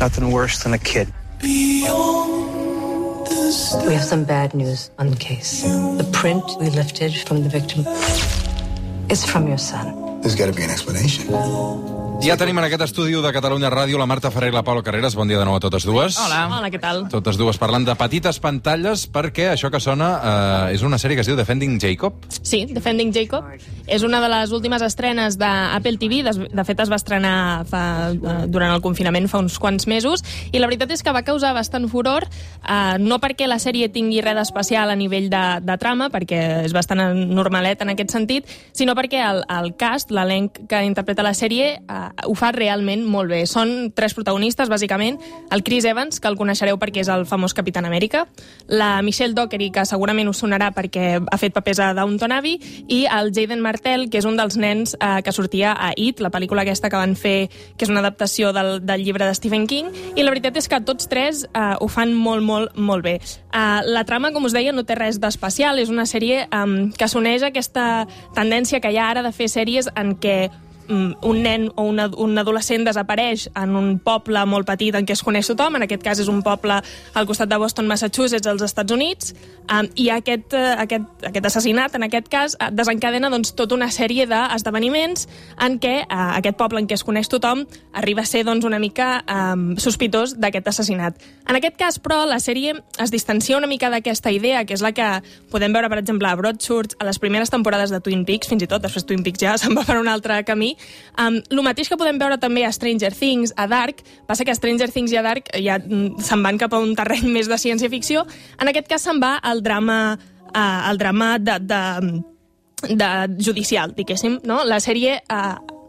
Nothing worse than a kid. We have some bad news on the case. The print we lifted from the victim is from your son. There's got to be an explanation. Ja tenim en aquest estudi de Catalunya Ràdio la Marta Ferrer i la Paula Carreras. Bon dia de nou a totes dues. Hola. Hola, què tal? Totes dues parlant de petites pantalles, perquè això que sona és una sèrie que es diu Defending Jacob. Sí, Defending Jacob. És una de les últimes estrenes d'Apple TV. De fet, es va estrenar durant el confinament fa uns quants mesos, i la veritat és que va causar bastant furor, no perquè la sèrie tingui res d'especial a nivell de trama, perquè és bastant normalet en aquest sentit, sinó perquè el cast, l'elenc que interpreta la sèrie, ho fa realment molt bé. Són 3 protagonistes, bàsicament. El Chris Evans, que el coneixereu perquè és el famós Capitán Amèrica, la Michelle Dockery, que segurament us sonarà perquè ha fet papers a Downton Abbey, i el Jaden Martell, que és un dels nens que sortia a It, la pel·lícula aquesta que van fer, que és una adaptació del llibre de Stephen King, i la veritat és que tots 3 ho fan molt, molt, molt bé. La trama, com us deia, no té res d'especial. És una sèrie que s'uneix a aquesta tendència que hi ha ara de fer sèries en què un nen o un adolescent desapareix en un poble molt petit en què es coneix tothom. En aquest cas és un poble al costat de Boston, Massachusetts, als Estats Units, i aquest assassinat, en aquest cas, desencadena tota una sèrie d'esdeveniments en què aquest poble en què es coneix tothom arriba a ser una mica sospitós d'aquest assassinat. En aquest cas, però, la sèrie es distancia una mica d'aquesta idea, que és la que podem veure, per exemple, a Broadchurch, a les primeres temporades de Twin Peaks, fins i tot, després Twin Peaks ja se'n va per un altre camí. El mateix que podem veure també a Stranger Things, a Dark, passa que a Stranger Things i a Dark ja se'n van cap a un terreny més de ciència-ficció. En aquest cas se'n va al drama judicial, diguéssim, no? La sèrie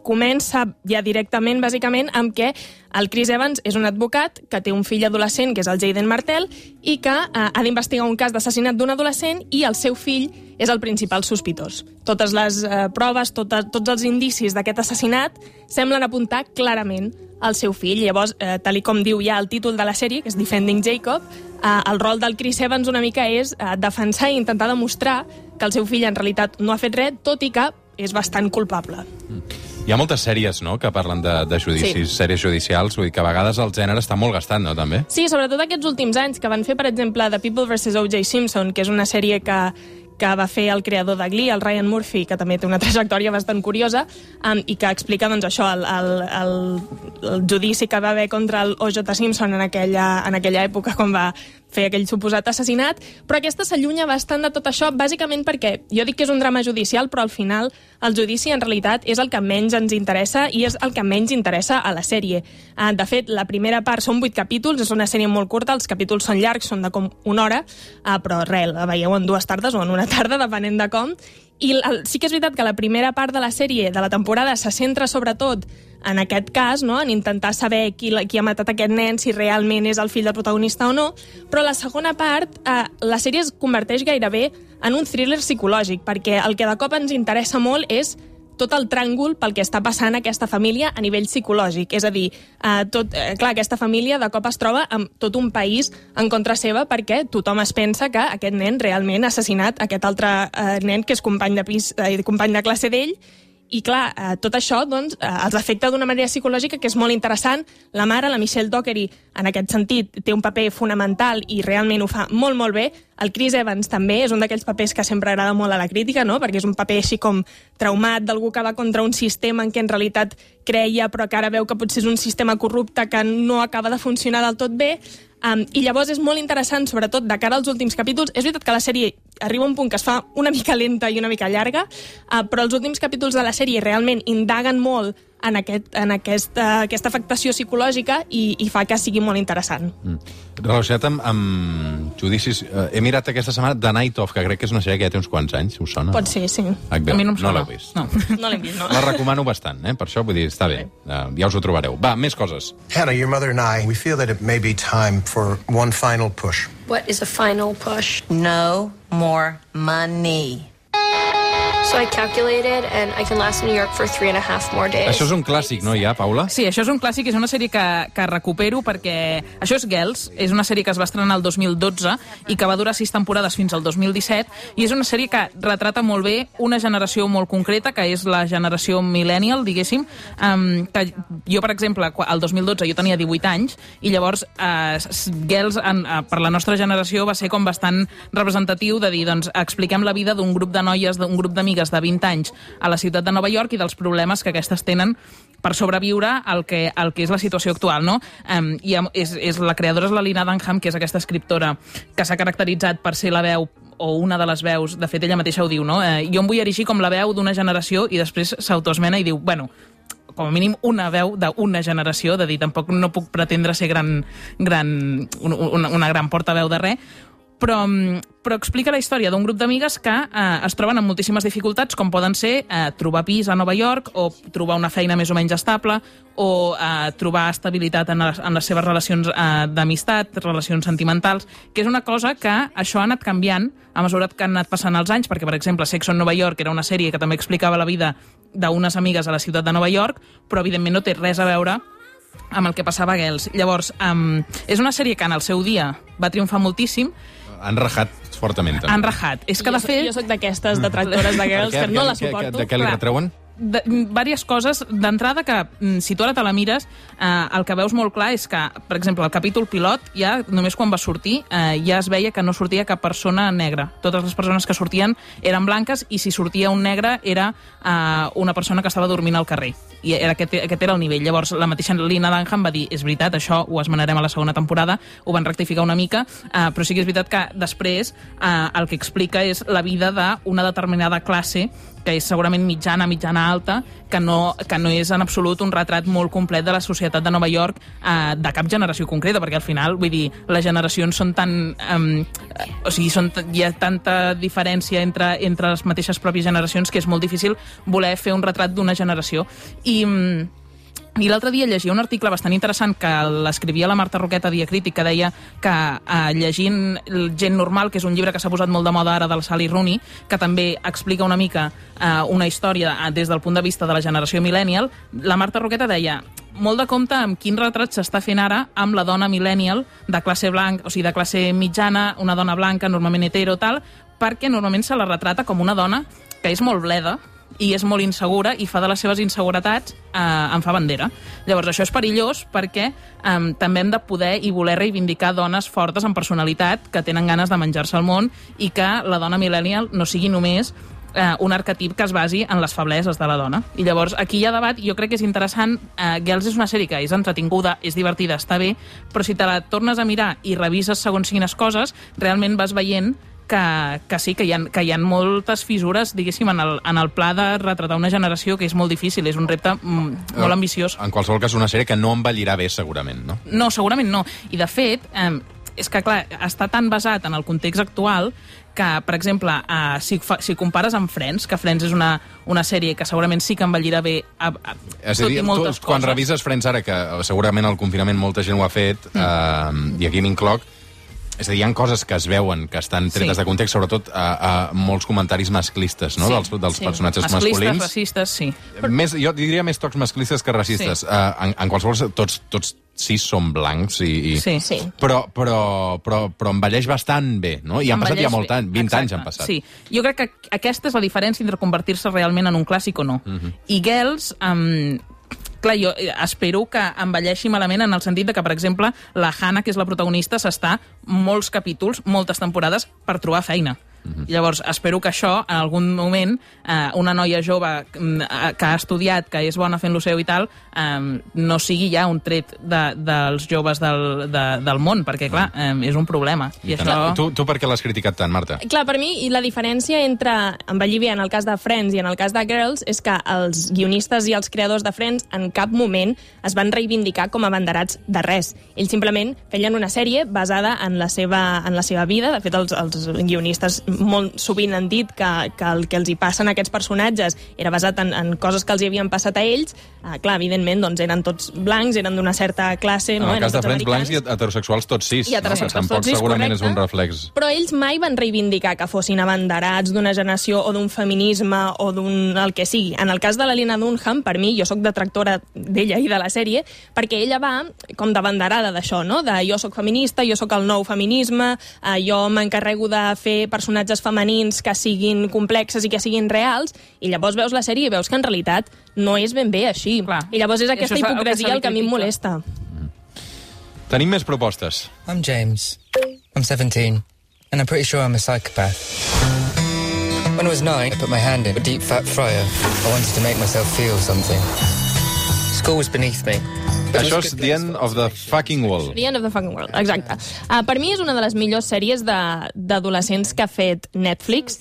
comença ja directament, bàsicament, amb què el Chris Evans és un advocat que té un fill adolescent, que és el Jaden Martell, i que ha d'investigar un cas d'assassinat d'un adolescent, i el seu fill és el principal sospitós. Totes les proves, tots els indicis d'aquest assassinat semblen apuntar clarament al seu fill. Llavors, tal com diu ja el títol de la sèrie, que és Defending Jacob, el rol del Chris Evans una mica és defensar i intentar demostrar que el seu fill en realitat no ha fet res, tot i que és bastant culpable. Hi ha moltes sèries, no?, que parlen de judicis, sí. Sèries judicials, vull dir que a vegades el gènere està molt gastat, no?, també? Sí, sobretot aquests últims anys, que van fer, per exemple, The People vs. O.J. Simpson, que és una sèrie que va fer el creador de Glee, el Ryan Murphy, que també té una trajectòria bastant curiosa, i que explica, això, el judici que va haver contra el O.J. Simpson en aquella època, quan va fer aquell suposat assassinat, però aquesta s'allunya bastant de tot això, bàsicament perquè jo dic que és un drama judicial, però al final el judici en realitat és el que menys ens interessa i és el que menys interessa a la sèrie. De fet, la primera part són 8 capítols, és una sèrie molt curta, els capítols són llargs, són de com 1 hora, però res, la veieu en 2 tardes o en una tarda, depenent de com. I sí que és veritat que la primera part de la sèrie, de la temporada, se centra sobretot en aquest cas, no?, en intentar saber qui ha matat aquest nen, si realment és el fill del protagonista o no, però la segona part, la sèrie es converteix gairebé en un thriller psicològic, perquè el que de cop ens interessa molt és tot el tràngol pel que està passant aquesta família a nivell psicològic. És a dir, clar, aquesta família de cop es troba amb tot un país en contra seva perquè tothom es pensa que aquest nen realment ha assassinat aquest altre nen que és company de pis, company de classe d'ell. I clar, tot això els afecta d'una manera psicològica que és molt interessant. La mare, la Michelle Dockery, en aquest sentit, té un paper fonamental i realment ho fa molt, molt bé. El Chris Evans també és un d'aquells papers que sempre agrada molt a la crítica, no?, perquè és un paper així com traumat, d'algú que va contra un sistema en què en realitat creia, però que ara veu que potser és un sistema corrupte que no acaba de funcionar del tot bé. I llavors és molt interessant, sobretot de cara als últims capítols. És veritat que la sèrie arriba a un punt que es fa una mica lenta i una mica llarga, però els últims capítols de la sèrie realment indaguen molt en aquesta afectació psicològica i fa que sigui molt interessant. Relacionat amb judicis, he mirat aquesta setmana The Night Of, que crec que és una sèrie que ja té uns quants anys, us sona? Pot ser, sí. A mi no em sona. No l'heu vist? No l'hem vist, no. La recomano bastant, per això, vull dir, està bé. Ja us ho trobareu. Va, més coses. Hannah, your mother and I, we feel that it may be time for one final push. What is a final push? No more money. So I calculated, and I can last in New York for 3.5 more days. Això és un clàssic, no, ja, Paula? Sí, això és un clàssic, és una sèrie que recupero perquè... Això és Girls, és una sèrie que es va estrenar el 2012 i que va durar 6 temporades fins al 2017, i és una sèrie que retrata molt bé una generació molt concreta, que és la generació millennial, diguéssim, que jo, per exemple, el 2012 jo tenia 18 anys, i llavors Girls, per la nostra generació, va ser com bastant representatiu de dir, doncs, expliquem la vida d'un grup de noies, d'un grup d'amigues de 20 anys a la ciutat de Nova York i dels problemes que aquestes tenen per sobreviure al que és la situació actual, no? I la creadora és la Lina Dunham, que és aquesta escriptora que s'ha caracteritzat per ser la veu o una de les veus, de fet ella mateixa ho diu, no? Jo em vull erigir com la veu d'una generació, i després s'autoesmena i diu, bueno, com a mínim una veu d'una generació, de dir, tampoc no puc pretendre ser una gran portaveu de res, però explica la història d'un grup d'amigues que es troben amb moltíssimes dificultats, com poden ser trobar pis a Nova York, o trobar una feina més o menys estable, o trobar estabilitat en les seves relacions d'amistat, relacions sentimentals, que és una cosa que això ha anat canviant a mesura que han anat passant els anys, perquè, per exemple, Sexo en Nova York era una sèrie que també explicava la vida d'unes amigues a la ciutat de Nova York, però evidentment no té res a veure amb el que passava a Girls. Llavors, és una sèrie que en el seu dia va triomfar moltíssim. Han rajat fortament, també. Han rajat. És que, de fet... Jo soc d'aquestes detractores de Girls que no la suporto. De què li retreuen? Diverses coses. D'entrada, que si tu ara te la mires, el que veus molt clar és que, per exemple, el capítol pilot, ja només quan va sortir, ja es veia que no sortia cap persona negra. Totes les persones que sortien eren blanques, i si sortia un negre era una persona que estava dormint al carrer. I aquest era el nivell. Llavors, la mateixa Lina Dunham va dir, és veritat, això ho esmenarem a la segona temporada, ho van rectificar una mica, però sí que és veritat que després el que explica és la vida d'una determinada classe, que és segurament mitjana alta, que no és en absolut un retrat molt complet de la societat de Nova York de cap generació concreta, perquè al final, vull dir, les generacions són tan... hi ha tanta diferència entre les mateixes pròpies generacions que és molt difícil voler fer un retrat d'una generació. I l'altre dia llegia un article bastant interessant que l'escrivia la Marta Roqueta a Dia Crític, que deia que llegint Gent normal, que és un llibre que s'ha posat molt de moda ara del Sally Rooney, que també explica una mica una història des del punt de vista de la generació millennial, la Marta Roqueta deia molt de compte amb quin retrat s'està fent ara amb la dona millennial de classe blanca, o sigui, de classe mitjana, una dona blanca, normalment hetero, tal, perquè normalment se la retrata com una dona que és molt bleda, i és molt insegura, i fa de les seves inseguretats en fa bandera. Llavors, això és perillós perquè també hem de poder i voler reivindicar dones fortes amb personalitat que tenen ganes de menjar-se el món, i que la dona millennial no sigui només un arquetip que es basi en les febleses de la dona. I llavors, aquí hi ha debat, i jo crec que és interessant. Girls és una sèrie que és entretinguda, és divertida, està bé, però si te la tornes a mirar i revises segons quines coses, realment vas veient que sí, que hi ha moltes fissures, diguéssim, en el pla de retratar una generació, que és molt difícil, és un repte molt ambiciós. En qualsevol cas, una sèrie que no envellirà bé, segurament, no? No, segurament no. I, de fet, és que, clar, està tan basat en el context actual que, per exemple, si compares amb Friends, que Friends és una sèrie que segurament sí que envellirà bé és a dir, quan revises Friends ara, que segurament al confinament molta gent ho ha fet, i aquí m'incloc, és a dir, hi ha coses que es veuen, que estan tretes de context, sobretot a molts comentaris masclistes, no? Dels personatges masculins. Racistes, sí. Jo diria més tocs masclistes que racistes. En qualsevol, tots 6 són blancs, però envelleix bastant bé, no? I han passat ja molt anys, 20 anys han passat. Sí, jo crec que aquesta és la diferència entre convertir-se realment en un clàssic o no. I Girls... Clar, jo espero que envelleixi malament en el sentit de que, per exemple, la Hannah, que és la protagonista, s'està molts capítols, moltes temporades, per trobar feina. Llavors, espero que això, en algun moment, una noia jove que ha estudiat, que és bona fent lo seu i tal, no sigui ja un tret dels joves del món, perquè, clar, és un problema. I això... Tu per què l'has criticat tant, Marta? Clar, per mi, i la diferència entre envellir bé en el cas de Friends i en el cas de Girls és que els guionistes i els creadors de Friends en cap moment es van reivindicar com a abanderats de res. Ells simplement feien una sèrie basada en la seva vida. De fet, els guionistes molt sovint han dit que el que els hi passen a aquests personatges era basat en coses que els hi havien passat a ells. Clar, evidentment, doncs eren tots blancs, eren d'una certa classe, no? En el cas de Friends, blancs i heterosexuals tots sis. I heterosexuals tampoc tots sis, segurament correcte. és un reflex. Però ells mai van reivindicar que fossin abanderats d'una generació o d'un feminisme o d'un el que sigui. En el cas de la Lena Dunham, per mi, jo sóc detractora d'ella i de la sèrie, perquè ella va com d'abanderada d'això, no? De jo sóc feminista, jo sóc el nou feminisme, jo m'encarrego de fer personatges femenins que siguin complexes i que siguin reals, i llavors veus la sèrie i veus que en realitat no és ben bé així. Clar. I llavors és aquesta hipocresia el que a mi em molesta. Tenim més propostes. I'm James. I'm 17, and I'm pretty sure I'm a psychopath. When I was 9, I put my hand in a deep fat fryer. I wanted to make myself feel something. School was beneath me. Això és The End of the Fucking World. The End of the Fucking World, exacte. Per mi és una de les millors sèries d'adolescents que ha fet Netflix,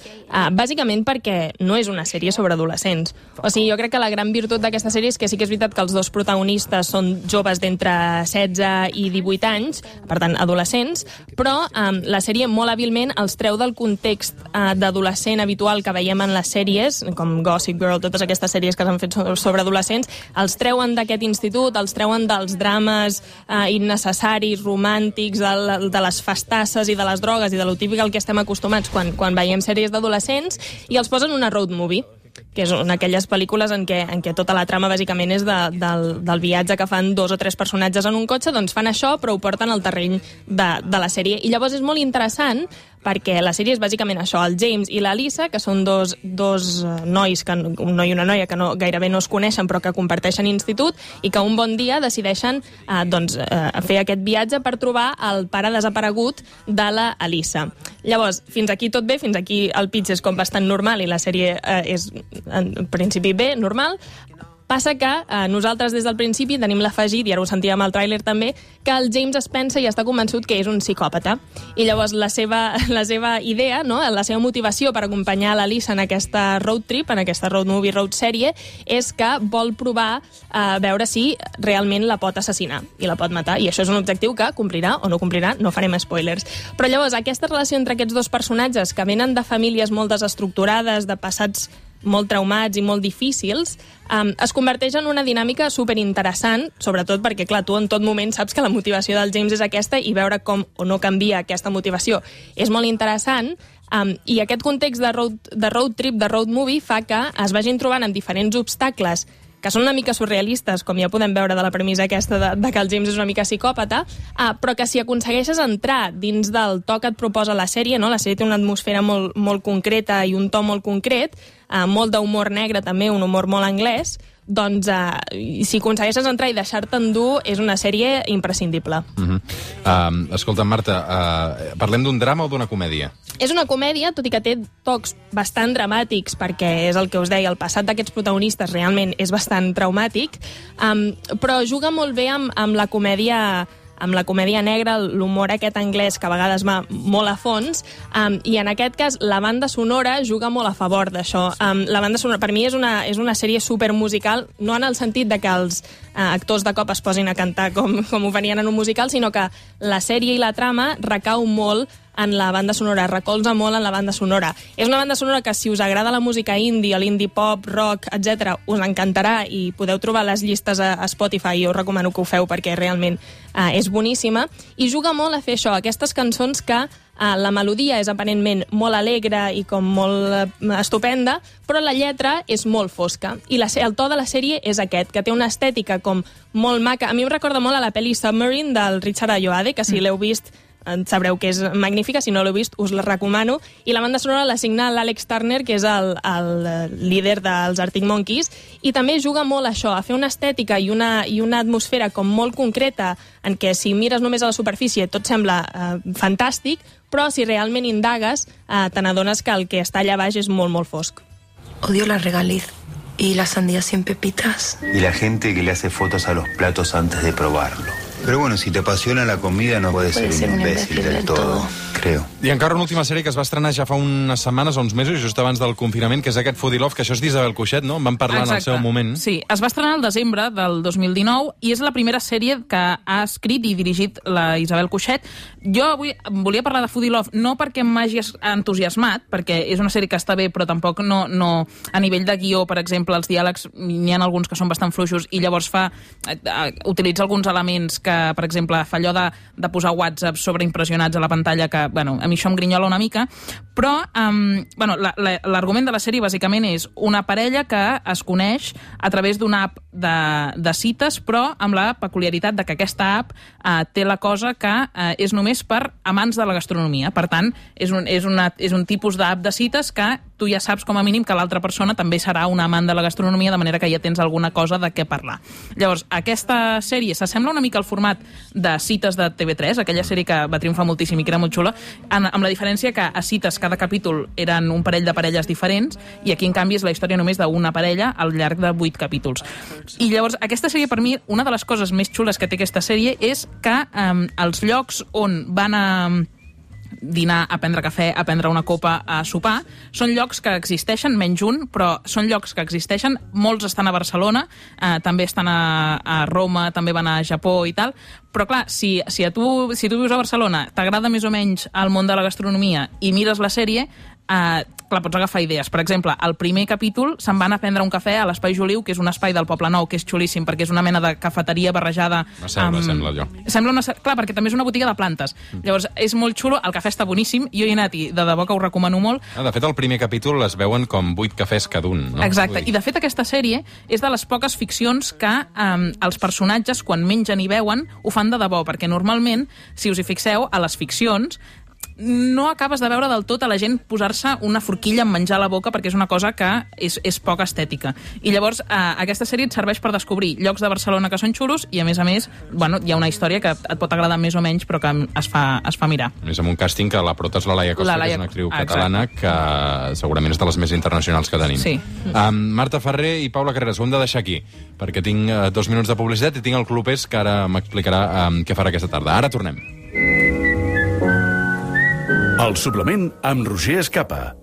bàsicament perquè no és una sèrie sobre adolescents. O sigui, jo crec que la gran virtut d'aquesta sèrie és que sí que és veritat que els dos protagonistes són joves d'entre 16 i 18 anys, per tant, adolescents, però la sèrie molt hàbilment els treu del context d'adolescent habitual que veiem en les sèries, com Gossip Girl, totes aquestes sèries que s'han fet sobre adolescents, els treuen d'aquest institut, els treuen dels drames innecessaris, romàntics, de les festasses i de les drogues i de lo típic al que estem acostumats quan veiem sèries d'adolescents, i els posen una road movie, que és una d'aquelles pel·lícules en què tota la trama bàsicament és del viatge que fan 2 o 3 personatges en un cotxe, doncs fan això però ho porten al terreny de la sèrie. I llavors és molt interessant perquè la sèrie és bàsicament això, el James i la Lisa, que són dos nois, un noi i una noia que gairebé no es coneixen però que comparteixen institut i que un bon dia decideixen fer aquest viatge per trobar el pare desaparegut de la Elisa. Llavors, fins aquí tot bé, fins aquí el pitch és com bastant normal i la sèrie és en principi bé, normal. Passa que nosaltres des del principi tenim l'afegit, i ara ho sentíem al tràiler també, que el James es pensa i està convençut que és un psicòpata. I llavors la seva idea, no? La seva motivació per acompanyar la Lisa en aquesta road trip, en aquesta road movie, road sèrie, és que vol provar a veure si realment la pot assassinar i la pot matar. I això és un objectiu que complirà o no complirà, no farem spoilers. Però llavors aquesta relació entre aquests dos personatges que venen de famílies molt desestructurades, de passats molt traumats i molt difícils, es converteix en una dinàmica superinteressant, sobretot perquè, clar, tu en tot moment saps que la motivació del James és aquesta i veure com o no canvia aquesta motivació és molt interessant, i aquest context de road trip, de road movie, fa que es vagin trobant amb diferents obstacles que són una mica surrealistes, com ja podem veure de la premissa aquesta de que el James és una mica psicòpata, però que si aconsegueixes entrar dins del to que et proposa la sèrie, no? La sèrie té una atmosfera molt concreta i un to molt concret, molt d'humor negre també, un humor molt anglès, doncs si aconsegueixes entrar i deixar-te endur és una sèrie imprescindible. Escolta, Marta, parlem d'un drama o d'una comèdia? És una comèdia, tot i que té tocs bastant dramàtics, perquè és el que us deia, el passat d'aquests protagonistes realment és bastant traumàtic, però juga molt bé amb la comèdia negra, l'humor aquest anglès que a vegades va molt a fons, i en aquest cas la banda sonora juga molt a favor d'això. La banda sonora per mi és una sèrie supermusical, no en el sentit de que els actors de cop es posin a cantar com ho venien en un musical, sinó que la sèrie i la trama recau molt en la banda sonora, recolza molt en la banda sonora. És una banda sonora que si us agrada la música indie, l'indie pop, rock, etc., us encantarà i podeu trobar les llistes a Spotify, i us recomano que ho feu perquè realment és boníssima, i juga molt a fer això, aquestes cançons que la melodia és aparentment molt alegre i com molt estupenda, però la lletra és molt fosca. I el to de la sèrie és aquest, que té una estètica com molt maca. A mi em recorda molt a la pel·li Submarine del Richard Ayoade, que si l'heu vist sabreu que és magnífica, si no l'heu vist us la recomano, i la banda sonora la signa l'Alex Turner, que és el líder dels Arctic Monkeys, i també juga molt a això, a fer una estètica i una atmosfera com molt concreta, en què si mires només a la superfície tot sembla fantàstic, però si realment indagues te n'adones que el que està allà baix és molt fosc. Odio la regaliz y la sandía sin pepitas. Y la gente que le hace fotos a los platos antes de probarlo. Pero bueno, si te apasiona la comida no puedes ser un imbécil del todo, creo. I encara una última sèrie que es va estrenar ja fa unes setmanes o uns mesos, just abans del confinament, que és aquest Foodie Love, que això és d'Isabel Cuixet, no? En vam parlar en el seu moment. Sí, es va estrenar al desembre del 2019 i és la primera sèrie que ha escrit i dirigit la Isabel Cuixet. Jo avui volia parlar de Foodie Love no perquè m'hagi entusiasmat, perquè és una sèrie que està bé, però tampoc no a nivell de guió, per exemple, els diàlegs n'hi ha alguns que són bastant fluixos i llavors utilitza alguns elements que, per exemple, fa allò de posar WhatsApp sobreimpressionats a la pantalla, que, bueno, a mi això em grinyola una mica, però l'argument de la sèrie bàsicament és una parella que es coneix a través d'una app de cites, però amb la peculiaritat de que aquesta app té la cosa que és només per amants de la gastronomia. Per tant, és un tipus d'app de cites que tu ja saps com a mínim que l'altra persona també serà un amant de la gastronomia, de manera que ja tens alguna cosa de què parlar. Llavors, aquesta sèrie s'assembla una mica al format de cites de TV3, aquella sèrie que va triomfar moltíssim i que era molt xula, amb la diferència que a cites cada capítol eren un parell de parelles diferents i aquí, en canvi, és la història només d'una parella al llarg de 8 capítols. I llavors, aquesta sèrie, per mi, una de les coses més xules que té aquesta sèrie és que els llocs on van a dinar, a prendre cafè, a prendre una copa, a sopar, són llocs que existeixen, menys un, però són llocs que existeixen, molts estan a Barcelona, també estan a Roma, també van a Japó i tal, però clar, si tu vius a Barcelona, t'agrada més o menys el món de la gastronomia i mires la sèrie, clar, pots agafar idees. Per exemple, al primer capítol se'n van a prendre un cafè a l'Espai Juliu, que és un espai del Poble Nou, que és xulíssim, perquè és una mena de cafeteria barrejada... Sembla allò. Clar, perquè també és una botiga de plantes. Llavors, és molt xulo, el cafè està boníssim, jo hi he anat i de debò que ho recomano molt. De fet, al primer capítol es veuen com 8 cafès cada un, no? Exacte, i de fet aquesta sèrie és de les poques ficcions que els personatges, quan mengen i beuen, ho fan de debò, perquè normalment, si us hi fixeu, a les ficcions no acabes de veure del tot a la gent posar-se una forquilla en menjar a la boca perquè és una cosa que és poc estètica. I llavors aquesta sèrie et serveix per descobrir llocs de Barcelona que són xulos i a més, bueno, hi ha una història que et pot agradar més o menys però que es fa mirar. A més, amb un càsting que la prota és la Laia Costa, que és una actriu catalana que segurament és de les més internacionals que tenim. Sí. Marta Ferrer i Paula Carreras, ho hem de deixar aquí perquè tinc 2 minuts de publicitat i tinc el Clubers que ara m'explicarà què farà aquesta tarda. Ara tornem. El suplement amb Roger Escapa.